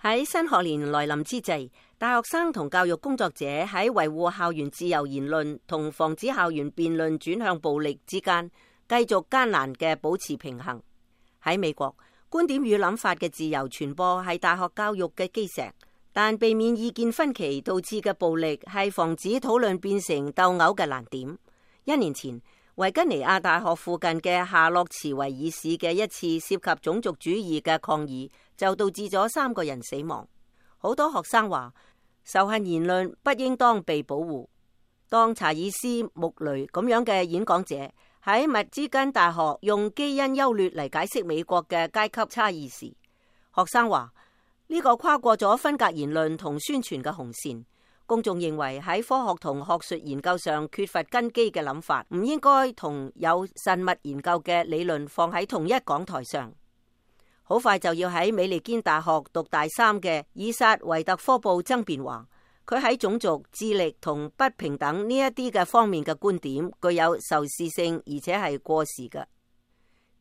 喺新學年來臨之際，大學生同教育工作者喺維護校園自由言論同防止校園辯論轉向暴力之間，繼續艱難嘅保持平衡。喺美國，觀點與諗法嘅自由傳播係大學教育嘅基石，但避免意見分歧導致嘅暴力係防止討論變成鬥毆嘅難點。1年前，維吉尼亞大學附近嘅夏洛茨維爾市嘅一次涉及種族主義嘅抗議，就導致咗3個人死亡。好多學生話，仇恨言論不應當被保護。當查爾斯穆雷咁樣嘅演講者喺密芝根大學用基因優劣嚟解釋美國嘅階級差異時，學生話呢個跨過咗分隔言論同宣傳嘅紅線。公眾認為喺科學同學術研究上缺乏根基嘅諗法，唔應該同有慎密研究嘅理論放喺同一講台上。好快就要喺美利堅大學讀大3嘅以薩維特科布爭辯話，佢喺種族、智力同不平等呢一啲嘅方面嘅觀點具有仇視性，而且係過時嘅。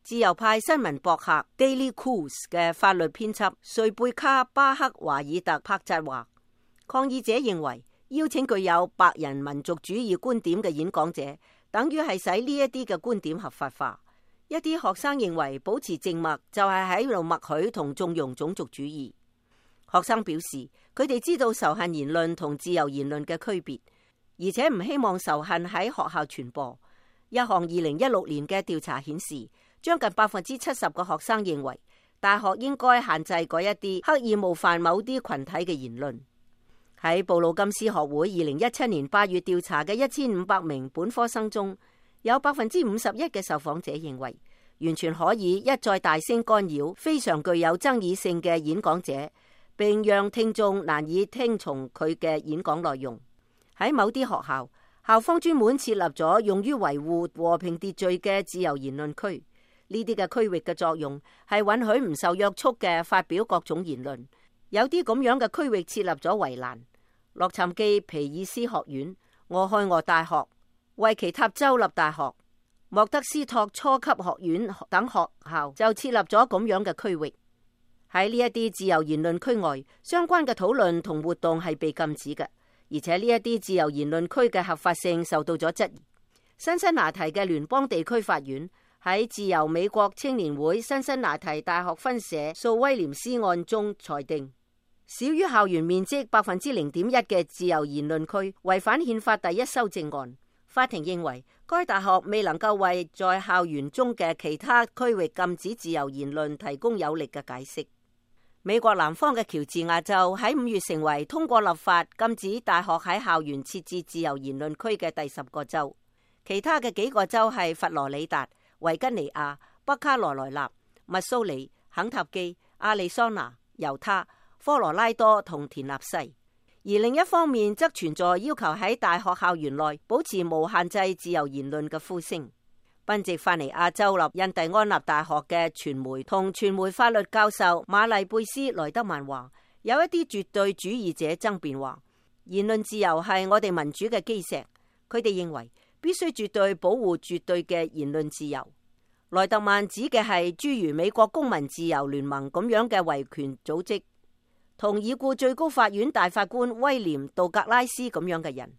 自由派新聞博客 Daily Kos 嘅法律編輯瑞貝卡巴克華爾特帕扎話，抗議者認為邀請具有白人民族主義觀點嘅演講者，等於係使呢一啲嘅觀點合法化。一啲學生認為保持靜默就係喺度默許同縱容種族主義。學生表示，佢哋知道仇恨言論同自由言論嘅區別，而且唔希望仇恨喺學校傳播。一項2016年嘅調查顯示，將近70%嘅學生認為大學應該限制嗰一啲刻意冒犯某啲群體嘅言論。喺布魯金斯學會2017年8月調查嘅1500名本科生中，有51%嘅受訪者認為完全可以一再大聲干擾非常具有爭議性嘅演講者，並讓聽眾難以聽從佢嘅演講內容。喺某啲學校，校方專門設立咗用於維護和平秩序嘅自由言論區。呢啲嘅區域嘅作用係允許唔受約束嘅發表各種言論。有啲咁樣嘅區域設立咗圍欄。洛杉磯皮爾斯學院、俄亥俄大學、維奇塔州立大學、莫德斯托初級學院等學校就設立咗咁樣嘅區域。喺呢一啲自由言論區外，相關嘅討論同活動係被禁止嘅，而且呢一啲自由言論區嘅合法性受到咗質疑。辛辛那提嘅聯邦地區法院喺自由美國青年會辛辛那提大學分社訴威廉斯案中裁定，少於校園面積0.1%嘅自由言論區違反憲法第1修正案。法庭認為該大學未能夠為在校園中嘅其他區域禁止自由言論提供有力嘅解釋。美國南方嘅喬治亞州喺5月成為通過立法禁止大學喺校園設置自由言論區嘅第10個州。其他嘅幾個州係佛羅里達、維吉尼亞、北卡羅來納、密蘇里、肯塔基、亞利桑那、猶他、科羅拉多同田納西。而另一方面則存在要求喺大學校園內保持無限制自由言論嘅呼聲。賓夕法尼亞州立印第安納大學嘅傳媒同傳媒法律教授瑪麗貝斯萊德曼話，有一啲絕對主義者爭辯話，言論自由係我哋民主嘅基石，佢哋認為必須絕對保護絕對嘅言論自由。萊德曼指嘅係諸如美國公民自由聯盟咁樣嘅維權組織，同已故最高法院大法官威廉杜格拉斯咁樣嘅人。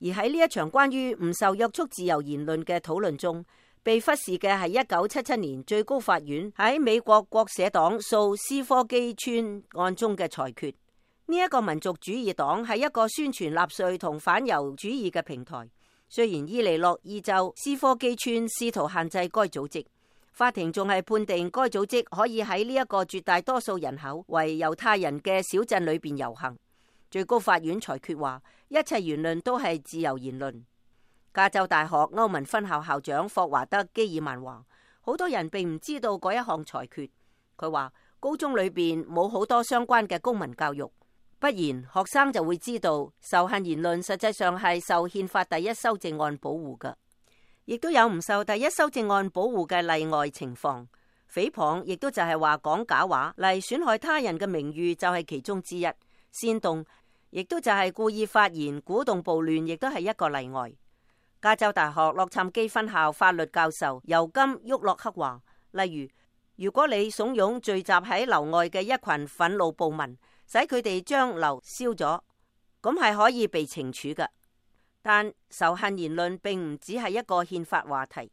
而喺呢一場關於唔受約束自由言論嘅討論中，被忽視嘅係1977年最高法院喺美國國社黨訴斯科基村案中嘅裁決。呢一個民族主義黨係一個宣傳納粹同反猶主義嘅平台。雖然伊利諾伊州斯科基村試圖限制該組織，法庭仲係判定該組織可以喺呢一個絕大多數人口為猶太人嘅小鎮裏邊遊行。最高法院裁決話，一切言論都係自由言論。加州大學歐文分校校長霍華德基爾曼話，好多人並唔知道嗰一項裁決。佢話高中裏邊冇好多相關嘅公民教育，不然學生就會知道仇恨言論實際上係受憲法第1修正案保護嘅，亦都有唔受第1修正案保護嘅例外情況。誹謗亦都就係話講假話嚟損害他人嘅名譽，就係其中之一。煽動亦都就係故意發言鼓動暴亂，亦都係一個例外。加州大學洛杉磯分校法律教授尤金沃洛克話，例如，如果你慫恿聚集喺樓外嘅一群憤怒暴民，使佢哋將樓燒咗，咁係可以被懲處嘅。但仇恨言論並唔只係一個憲法話題。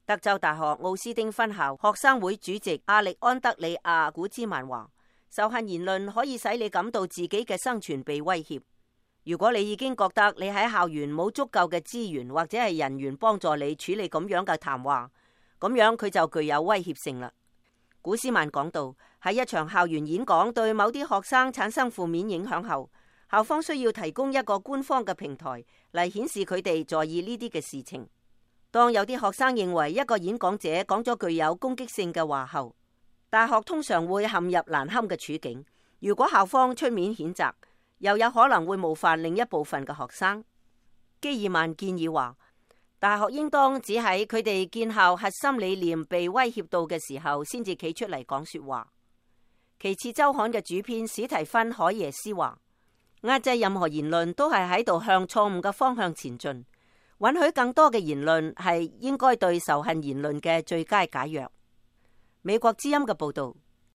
德州大學奧斯丁分校學生會主席亞歷安德里亞古茲曼話：仇恨言論可以使你感到自己嘅生存被威脅。如果你已經覺得你喺校園冇足夠嘅資源或者係人員幫助你處理咁樣嘅談話，咁樣佢就具有威脅性啦。古斯曼講到，喺一場校園演講對某啲學生產生負面影響後，校方需要提供一個官方嘅平台嚟顯示佢哋在意呢啲嘅事情。當有啲學生認為一個演講者講咗具有攻擊性嘅話後，大學通常會陷入難堪嘅處境。如果校方出面譴責，又有可能會冒犯另一部分嘅學生。基爾曼建議話，大學應當只喺佢哋建校核心理念被威脅到嘅時候，先至企出嚟講說話。其次，週刊嘅主編史提芬海耶斯話，壓制任何言論都係喺度向錯誤嘅方向前進。允許更多嘅言論係應該對仇恨言論嘅最佳解藥。美國之音嘅報道。